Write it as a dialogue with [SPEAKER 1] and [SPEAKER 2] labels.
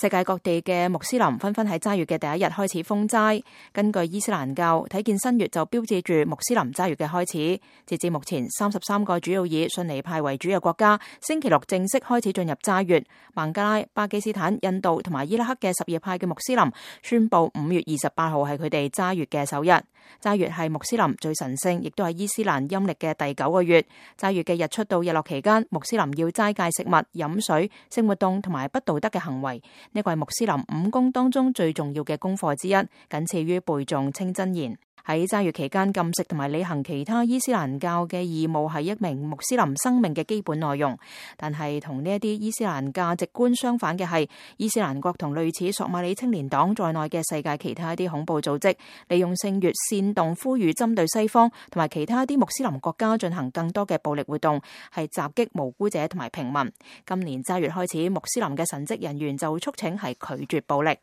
[SPEAKER 1] 世界各地嘅穆斯林紛紛喺齋月嘅第一日開始封齋。根據伊斯蘭教，睇見新月就標誌住穆斯林齋月嘅開始。截至目前，33個主要以遜尼派為主嘅國家，星期六正式開始進入齋月。孟加拉、巴基斯坦、印度同埋伊拉克嘅什葉派嘅穆斯林宣布5月28號係佢哋齋月嘅首日。齋月係穆斯林最神聖，亦都係伊斯蘭陰曆嘅第9個月。齋月嘅日出到日落期間，穆斯林要齋戒食物、飲水、性活動同埋不道德嘅行為。呢個係穆斯林5功當中最重要嘅功課之一，僅次於背誦清真言。喺齋月期間禁食同埋履行其他伊斯蘭教嘅義務係一名穆斯林生命嘅基本內容。但係同呢一啲伊斯蘭價值觀相反嘅係，伊斯蘭國同類似索馬里青年黨在內嘅世界其他一啲恐怖組織，利用聖月煽動呼籲針對西方同埋其他一啲穆斯林國家進行更多嘅暴力活動，係襲擊無辜者同埋平民。今年齋月開始，穆斯林嘅神職人員就促請係拒絕暴力。